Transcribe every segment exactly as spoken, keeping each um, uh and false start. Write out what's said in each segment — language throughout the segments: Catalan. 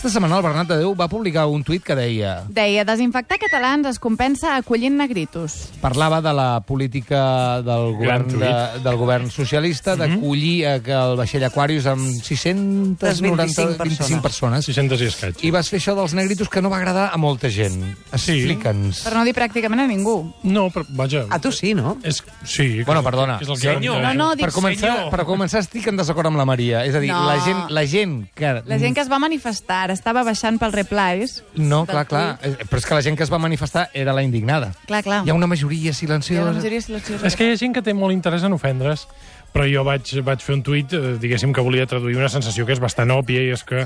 Aquesta setmana el Bernat de Déu va publicar un tuit que deia... Deia, desinfectar catalans es compensa acollint negritos. Parlava de la política del govern, de, del govern socialista d'acollir mm -hmm. que el vaixell Aquarius amb sis cents i noranta, vint-i-cinc persones. sis cents i escaig. I vas fer això dels negritos que no va agradar a molta gent. Explica'ns. Per no dir pràcticament a ningú. No, però vaja... A tu sí, no? És, sí. Bueno, perdona. És el que Senyor. No, no, dic per començar, senyor. per començar estic en desacord amb la Maria. És a dir, No. la, gent, la gent que... La gent que es va manifestar estava baixant pels replies. No, clar, clar. Però és que la gent que es va manifestar era la indignada. Clar, clar. Hi ha una majoria Hi ha silenciosa. una majoria silenciosa. És que hi ha gent que té molt interès en ofendre's, però jo vaig, vaig fer un tuit, eh, diguéssim, que volia traduir una sensació que és bastant òbvia, i és que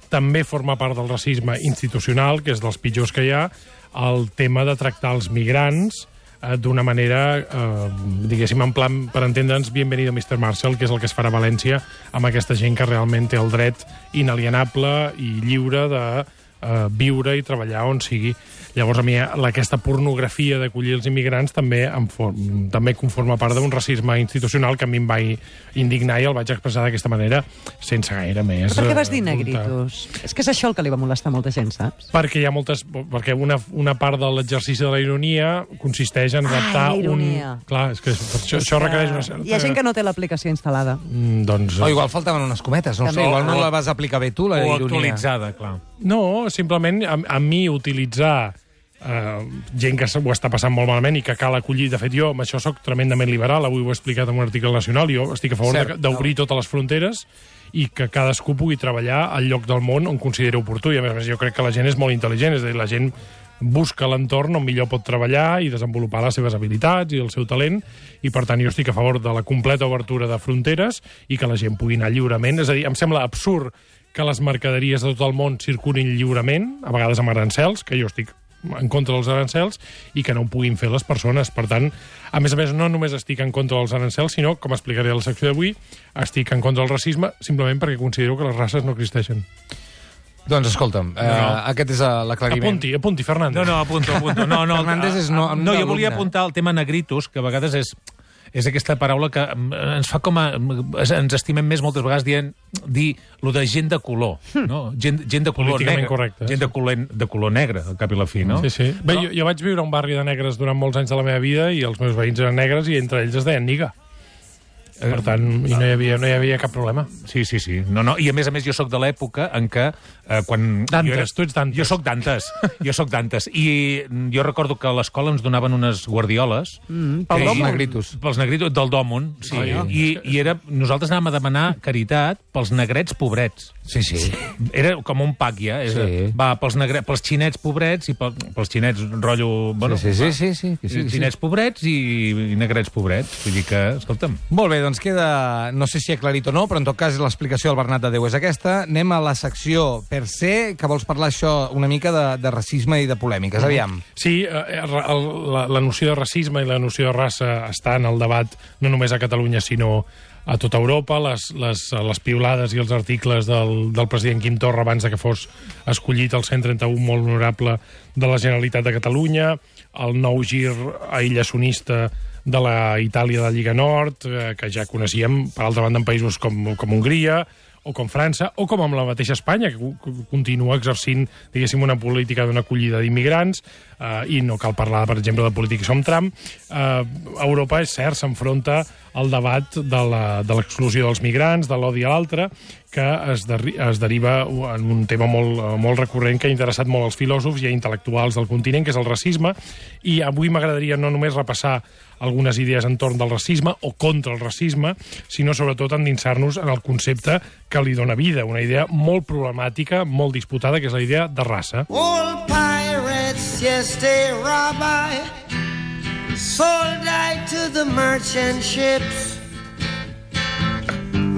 també forma part del racisme institucional, que és dels pitjors que hi ha, el tema de tractar els migrants eh, d'una manera, eh, diguéssim, en plan, per entendre'ns, bienvenido mister Marshall, que és el que es farà a València amb aquesta gent que realment té el dret inalienable i lliure de eh, viure i treballar on sigui. Llavors, a mi, aquesta pornografia d'acollir els immigrants també, em for, també conforma part d'un racisme institucional que a mi em va indignar i el vaig expressar d'aquesta manera sense gaire més. Però per què vas dir eh, negritos? És que és això el que li va molestar a molta gent, saps? Perquè hi ha moltes... Perquè una, una part de l'exercici de la ironia consisteix en adaptar Ah, un... ironia. Clar, és que això, això requereix una certa... Hi ha gent que no té l'aplicació instal·lada. Mm, doncs... O igual faltaven unes cometes, no sé, igual no la vas aplicar bé tu, la O ironia. actualitzada, clar. No, simplement a, a mi utilitzar eh, gent que ho està passant molt malament i que cal acollir. De fet, jo amb això sóc tremendament liberal, avui ho he explicat en un article nacional, jo estic a favor Cert. d'obrir totes les fronteres i que cadascú pugui treballar al lloc del món on consideri oportú. I a més a més jo crec que la gent és molt intel·ligent, és a dir, la gent busca l'entorn on millor pot treballar i desenvolupar les seves habilitats i el seu talent, i per tant jo estic a favor de la completa obertura de fronteres i que la gent pugui anar lliurement. És a dir, em sembla absurd que les mercaderies de tot el món circulin lliurement, a vegades amb arancels, que jo estic en contra dels arancels, i que no ho puguin fer les persones. Per tant, a més a més, no només estic en contra dels arancels, sinó, com explicaré a la secció d'avui, estic en contra del racisme simplement perquè considero que les races no existeixen. Doncs escolta'm, no, no. Eh, aquest és l'aclariment. Apunti, apunti, Fernández. No, no, apunto, apunto. No, no, Fernández és no, no, jo volia alumne. apuntar el tema negritos, que a vegades és és aquesta paraula que ens fa com a... ens estimem més moltes vegades dient dir lo de gent de color, no? Gent, gent de color Políticament negre. correcte. Gent de color, de color negre, al cap i la fi, no? Sí, sí. Bé, Però... jo, jo vaig viure a un barri de negres durant molts anys de la meva vida i els meus veïns eren negres i entre ells es deien niga. Per tant, i no hi havia, no hi havia cap problema. Sí, sí, sí. No, no. I a més a més jo sóc de l'època en què... Eh, quan Dantes, jo era... tu ets Dantes. Jo sóc Dantes, jo sóc Dantes. I jo recordo que a l'escola ens donaven unes guardioles... Mm, Pels pel negritos. Pels negritos, del Dòmon, sí. Oh, ja. I, i era, nosaltres anàvem a demanar caritat pels negrets pobrets. Sí, sí. Era com un pack, ja. És, Sí. Va, pels, negre, pels xinets pobrets i pel, pels xinets rotllo... Bueno, Sí, sí, va, sí, sí, sí, sí, sí. Xinets pobrets i, i negrets pobrets. Vull dir que, escolta'm... Molt bé, doncs queda... No sé si he aclarit o no, però en tot cas l'explicació del Bernat de Déu és aquesta. Anem a la secció per ser, que vols parlar això una mica de, de racisme i de polèmiques. Aviam. Sí, eh, el, la, la noció de racisme i la noció de raça està en el debat no només a Catalunya, sinó a tota Europa. Les, les, les piulades i els articles del, del president Quim Torra abans de que fos escollit el cent trenta-u molt honorable de la Generalitat de Catalunya, el nou gir aïllacionista de la Itàlia de la Lliga Nord, eh, que ja coneixíem, per altra banda, en països com, com Hongria, o com França, o com amb la mateixa Espanya, que continua exercint, diguéssim, una política d'una acollida d'immigrants, eh, i no cal parlar, per exemple, de polítics com Trump. Eh, Europa, és cert, s'enfronta al debat de l'exclusió dels migrants, de l'odi a l'altre, que es, de, es deriva en un tema molt, molt recurrent que ha interessat molt als filòsofs i a intel·lectuals del continent, que és el racisme, i avui m'agradaria no només repassar algunes idees entorn del racisme o contra el racisme, sinó sobretot endinsar-nos en el concepte que li dona vida, una idea molt problemàtica, molt disputada, que és la idea de raça. Old pirates, yes, they rob I, sold I to the merchant ships.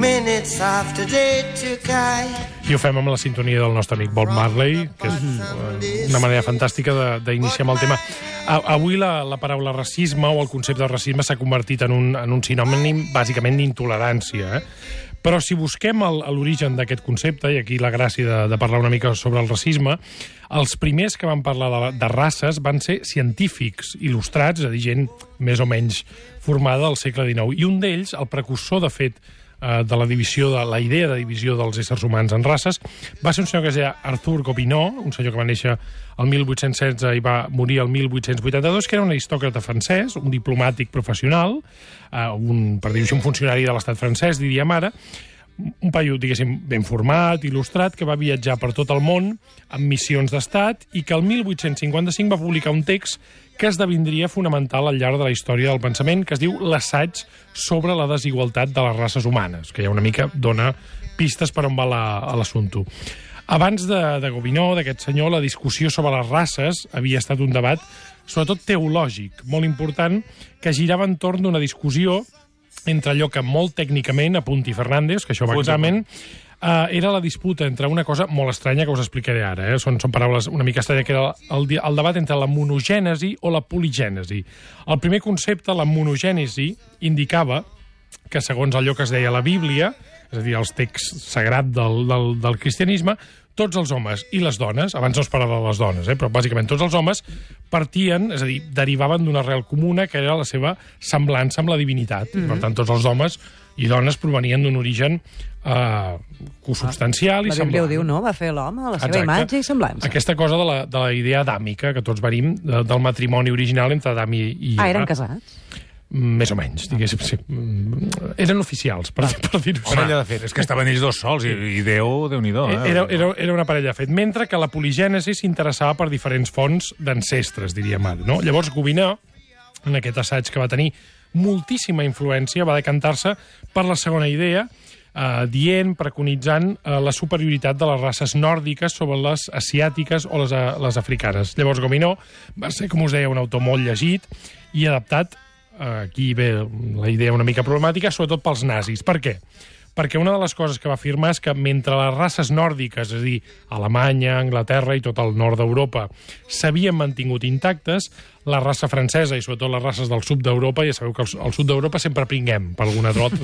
Minutes after they took I. I ho fem amb la sintonia del nostre amic Bob Marley, que és una manera fantàstica d'iniciar amb el tema. Avui la, la paraula racisme o el concepte de racisme s'ha convertit en un, en un sinònim bàsicament d'intolerància, eh? Però si busquem l'origen d'aquest concepte, i aquí la gràcia de, de parlar una mica sobre el racisme, els primers que van parlar de, de races van ser científics il·lustrats, és a dir, gent més o menys formada al segle dinou. I un d'ells, el precursor, de fet, eh, de la divisió, de la idea de divisió dels éssers humans en races, va ser un senyor que es deia Arthur Gobineau, un senyor que va néixer el mil vuit-cents setze i va morir el mil vuit-cents vuitanta-dos, que era un aristòcrata francès, un diplomàtic professional, eh, un, per dir-ho així, un funcionari de l'estat francès, diríem ara, un paio, diguéssim, ben format, il·lustrat, que va viatjar per tot el món amb missions d'estat i que el mil vuit-cents cinquanta-cinc va publicar un text que esdevindria fonamental al llarg de la història del pensament, que es diu L'assaig sobre la desigualtat de les races humanes, que ja una mica dona pistes per on va l'assumpte. Abans de, de Gobineau, d'aquest senyor, la discussió sobre les races havia estat un debat, sobretot teològic, molt important, que girava entorn d'una discussió entre allò que molt tècnicament, a Punti Fernández, que això va a examen, uh, era la disputa entre una cosa molt estranya que us explicaré ara. Eh? Són, són paraules una mica estranyes, que era el, el debat entre la monogènesi o la poligènesi. El primer concepte, la monogènesi, indicava que, segons allò que es deia a la Bíblia, és a dir, els texts sagrats del, del, del cristianisme, tots els homes i les dones, abans no es parlava de les dones, eh, però bàsicament tots els homes partien, és a dir, derivaven d'una arrel comuna que era la seva semblança amb la divinitat. Mm-hmm. Per tant, tots els homes i dones provenien d'un origen eh, consubstancial ah, i semblant. La Bíblia ho diu, no? Va fer l'home a la seva Exacte. Imatge i semblança. Aquesta cosa de la, de la idea adàmica, que tots venim de, del matrimoni original entre Adam i, i Eva. Ah, eren casats? Més o menys, diguéssim, sí. Eren oficials, per, per dir-ho així. Parella de fet. És que estaven ells dos sols, i, i Déu, Déu-n'hi-do. Eh? Era, era, era una parella de fet. Mentre que la poligènesi s'interessava per diferents fonts d'ancestres, diríem ara. No? Llavors, Gobineau, en aquest assaig que va tenir moltíssima influència, va decantar-se per la segona idea, eh, dient, preconitzant eh, la superioritat de les races nòrdiques sobre les asiàtiques o les, les africanes. Llavors, Gobineau va ser, com us deia, un autor molt llegit i adaptat. Aquí ve la idea una mica problemàtica, sobretot pels nazis. Per què? Perquè una de les coses que va afirmar és que mentre les races nòrdiques, és a dir, Alemanya, Anglaterra i tot el nord d'Europa, s'havien mantingut intactes, la raça francesa i sobretot les races del sud d'Europa, ja sabeu que al, al sud d'Europa sempre pringuem per alguna trot,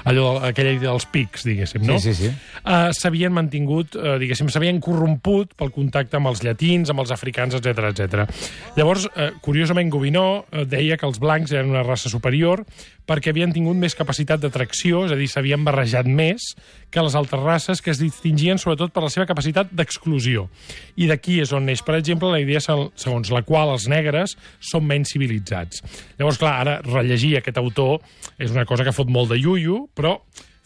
allò, aquella idea dels pics, diguéssim, no? Sí, sí, sí. Uh, s'havien mantingut, uh, diguéssim, s'havien corromput pel contacte amb els llatins, amb els africans, etcètera, etcètera. Llavors, uh, curiosament, Gobineau uh, deia que els blancs eren una raça superior perquè havien tingut més capacitat d'atracció, és a dir, s'havien barrejat més que les altres races, que es distingien sobretot per la seva capacitat d'exclusió. I d'aquí és on neix, per exemple, la idea segons la qual els negres són menys civilitzats. Llavors, clar, ara rellegir aquest autor és una cosa que fot molt de iuiu, però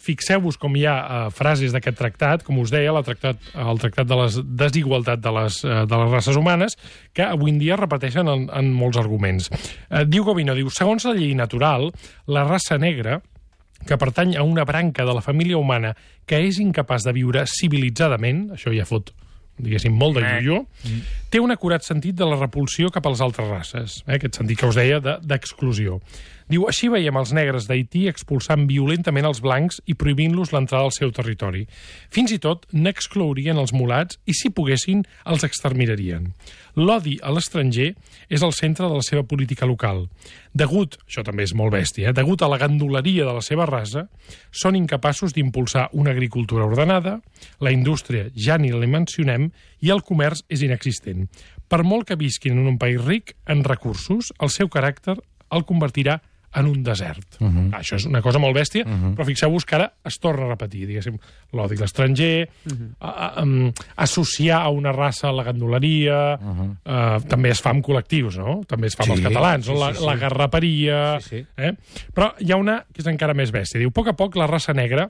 fixeu-vos com hi ha uh, frases d'aquest tractat, com us deia, el tractat, el tractat de la desigualtat de les, uh, de les races humanes, que avui en dia es repeteixen en, en molts arguments. Uh, diu Gobineau, diu, segons la llei natural, la raça negra, que pertany a una branca de la família humana que és incapaç de viure civilitzadament, això ja fot, diguéssim, molt de iuiu, mm. té un acurat sentit de la repulsió cap a les altres races, eh? Aquest sentit que us deia d'exclusió. De, Diu, així veiem els negres d'Haití expulsant violentament els blancs i prohibint-los l'entrada al seu territori. Fins i tot n'exclourien els mulats i, si poguessin, els exterminarien. L'odi a l'estranger és el centre de la seva política local. Degut, això també és molt bèstia, eh? degut a la ganduleria de la seva raça, són incapaços d'impulsar una agricultura ordenada, la indústria ja ni la mencionem i el comerç és inexistent. Per molt que visquin en un país ric en recursos, el seu caràcter el convertirà en un desert. Uh -huh. Això és una cosa molt bèstia, uh -huh. però fixeu-vos que ara es torna a repetir, diguéssim, l'odi a l'estranger, uh -huh. a, a, a, associar a una raça a la ganduleria, uh -huh. uh, també es fa amb col·lectius, no? També es fa amb sí, els catalans, sí, no? la, sí, sí. la garraperia... Sí, sí. Eh? Però hi ha una que és encara més bèstia. Diu, a poc a poc la raça negra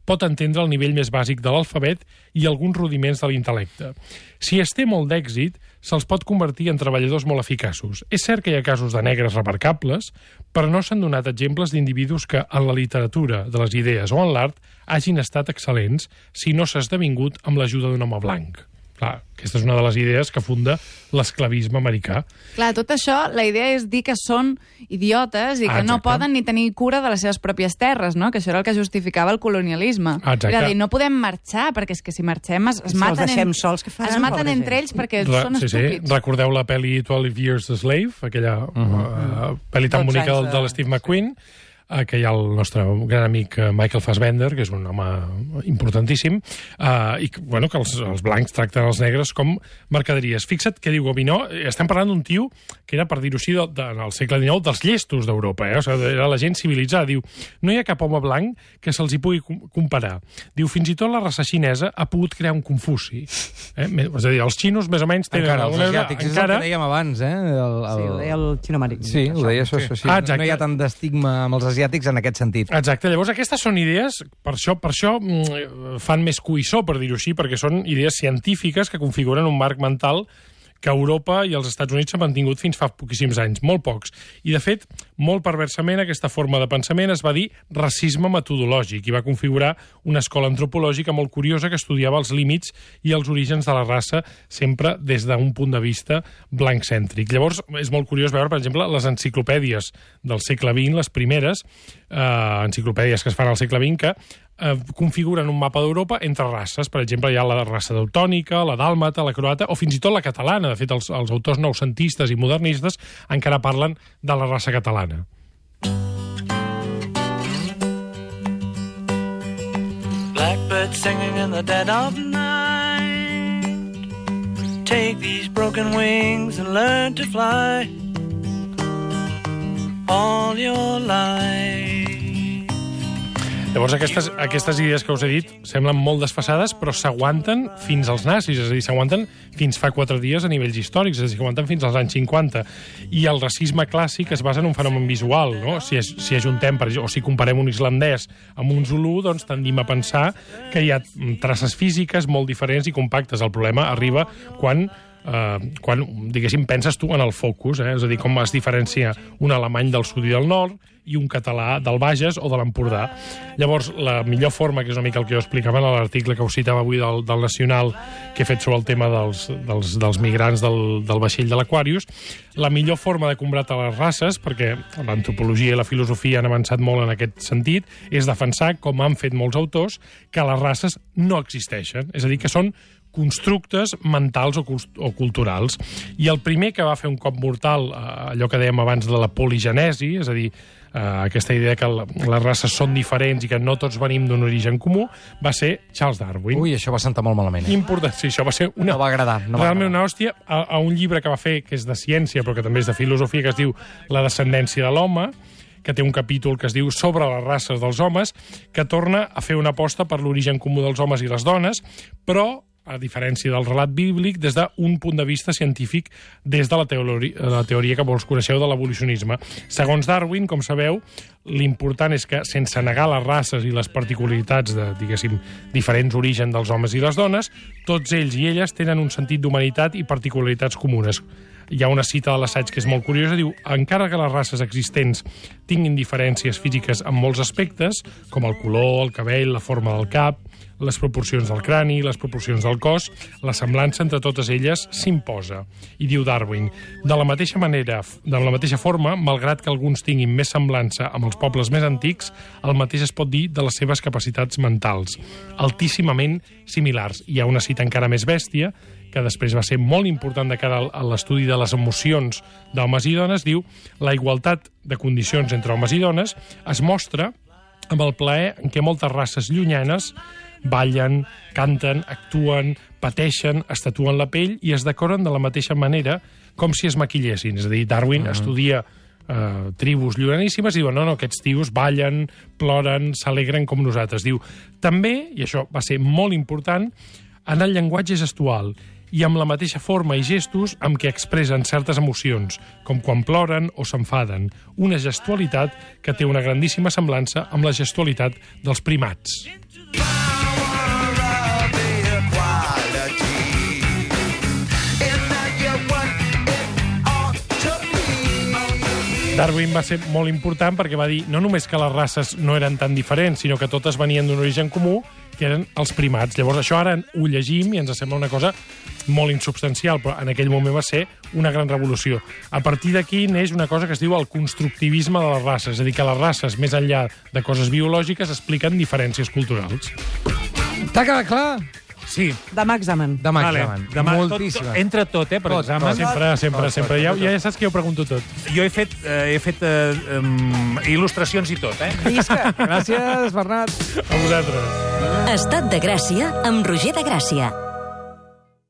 pot entendre el nivell més bàsic de l'alfabet i alguns rudiments de l'intel·lecte. Si es té molt d'èxit, se'ls pot convertir en treballadors molt eficaços. És cert que hi ha casos de negres remarcables, però no s'han donat exemples d'individus que en la literatura, de les idees o en l'art hagin estat excel·lents si no s'ha esdevingut amb l'ajuda d'un home blanc. Clar, aquesta és una de les idees que funda l'esclavisme americà. Clar, tot això, la idea és dir que són idiotes i que ah, no poden ni tenir cura de les seves pròpies terres, no? Que això era el que justificava el colonialisme. Exacte. Era dir, no podem marxar, perquè és que si marxem es, es si maten, en, sols, que faran, es maten entre ells perquè Re, són sí, estúpids. Sí. Recordeu la pel·li twelve years a Slave, aquella uh -huh. uh, pel·li tan bonica de, de l'Steve McQueen? eh, que hi ha el nostre gran amic eh, Michael Fassbender, que és un home importantíssim, eh, i bueno, que els, els blancs tracten els negres com mercaderies. Fixa't què diu Gobineau, estem parlant d'un tio que era, per dir-ho així, de, de, en el segle dinou, dels llestos d'Europa, eh? O sigui, era la gent civilitzada. Diu, no hi ha cap home blanc que se'ls hi pugui comparar. Diu, fins i tot la raça xinesa ha pogut crear un Confuci. Eh? És a dir, els xinos més o menys tenen... Encara, els asiàtics, encara... és el que dèiem abans, eh? El, el... Sí, ho deia el xino-amèric. Sí, ho deia això, això sí. Ah, no hi ha tant d'estigma amb els asiàtics en aquest sentit. Exacte, llavors aquestes són idees, per això, per això mm, fan més cuissó, per dir-ho així, perquè són idees científiques que configuren un marc mental que Europa i els Estats Units s'han mantingut fins fa poquíssims anys, molt pocs. I, de fet, molt perversament, aquesta forma de pensament es va dir racisme metodològic i va configurar una escola antropològica molt curiosa que estudiava els límits i els orígens de la raça sempre des d'un punt de vista blanccèntric. Llavors, és molt curiós veure, per exemple, les enciclopèdies del segle vint, les primeres eh, enciclopèdies que es fan al segle vint, que eh, configuren un mapa d'Europa entre races. Per exemple, hi ha la raça teutònica, la dàlmata, la croata, o fins i tot la catalana. De fet, els, els autors noucentistes i modernistes encara parlen de la raça catalana. Blackbird singing in the dead of night. Take these broken wings and learn to fly all your life. Llavors, aquestes, aquestes idees que us he dit semblen molt desfasades, però s'aguanten fins als nazis, és a dir, s'aguanten fins fa quatre dies a nivells històrics, és a dir, s'aguanten fins als anys cinquanta. I el racisme clàssic es basa en un fenomen visual, no? Si, si ajuntem, per, o si comparem un islandès amb un zulú, doncs tendim a pensar que hi ha traces físiques molt diferents i compactes. El problema arriba quan... Uh, quan, diguéssim, penses tu en el focus, eh? És a dir, com es diferencia un alemany del sud i del nord i un català del Bages o de l'Empordà. Llavors, la millor forma, que és una mica el que jo explicava en l'article que us citava avui del, del Nacional, que he fet sobre el tema dels, dels, dels migrants del, del vaixell de l'Aquarius, la millor forma de combatre les races, perquè l'antropologia i la filosofia han avançat molt en aquest sentit, és defensar, com han fet molts autors, que les races no existeixen. És a dir, que són constructes mentals o, o culturals. I el primer que va fer un cop mortal, eh, allò que dèiem abans de la poligenesi, és a dir, eh, aquesta idea que la, les races són diferents i que no tots venim d'un origen comú, va ser Charles Darwin. Ui, això va sentar molt malament. Eh? Important, sí, això va ser una... No va agradar. No va realment agradar. una hòstia a, a un llibre que va fer, que és de ciència, però que també és de filosofia, que es diu La descendència de l'home, que té un capítol que es diu Sobre les races dels homes, que torna a fer una aposta per l'origen comú dels homes i les dones, però a diferència del relat bíblic, des d'un punt de vista científic, des de la teoria, la teoria que vols coneixeu de l'evolucionisme. Segons Darwin, com sabeu, l'important és que, sense negar les races i les particularitats de, diguéssim, diferents orígens dels homes i les dones, tots ells i elles tenen un sentit d'humanitat i particularitats comunes. Hi ha una cita de l'assaig que és molt curiosa, diu: encara que les races existents tinguin diferències físiques en molts aspectes, com el color, el cabell, la forma del cap, les proporcions del crani, les proporcions del cos, la semblança entre totes elles s'imposa. I diu Darwin, de la mateixa manera, de la mateixa forma, malgrat que alguns tinguin més semblança amb els pobles més antics, el mateix es pot dir de les seves capacitats mentals, altíssimament similars. Hi ha una cita encara més bèstia, que després va ser molt important de cara a l'estudi de les emocions d'homes i dones, diu: la igualtat de condicions entre homes i dones es mostra amb el plaer en què moltes races llunyanes ballen, canten, actuen, pateixen, estatuen la pell i es decoren de la mateixa manera com si es maquillessin. És a dir, Darwin uh-huh. estudia eh, tribus lluraníssimes i diuen, no, no, aquests tios ballen, ploren, s'alegren com nosaltres. Diu, també, i això va ser molt important, en el llenguatge gestual i amb la mateixa forma i gestos amb què expressen certes emocions, com quan ploren o s'enfaden. Una gestualitat que té una grandíssima semblança amb la gestualitat dels primats. Darwin va ser molt important perquè va dir no només que les races no eren tan diferents, sinó que totes venien d'un origen comú, que eren els primats. Llavors això ara ho llegim i ens sembla una cosa molt insubstancial, però en aquell moment va ser una gran revolució. A partir d'aquí neix una cosa que es diu el constructivisme de les races, és a dir, que les races, més enllà de coses biològiques, expliquen diferències culturals. T'ha quedat clar? Sí. Demà examen. Demà Vale. examen. Demà, Moltíssimes. Tot, entra tot, eh, per Tot, examen. tot. Sempre, sempre, Tot, sempre. tot, Ja, tot, ja saps que jo pregunto tot. Jo he fet, eh, he fet eh, um, il·lustracions i tot, eh? Visca. Gràcies, Bernat. A vosaltres. Estat de Gràcia amb Roger de Gràcia.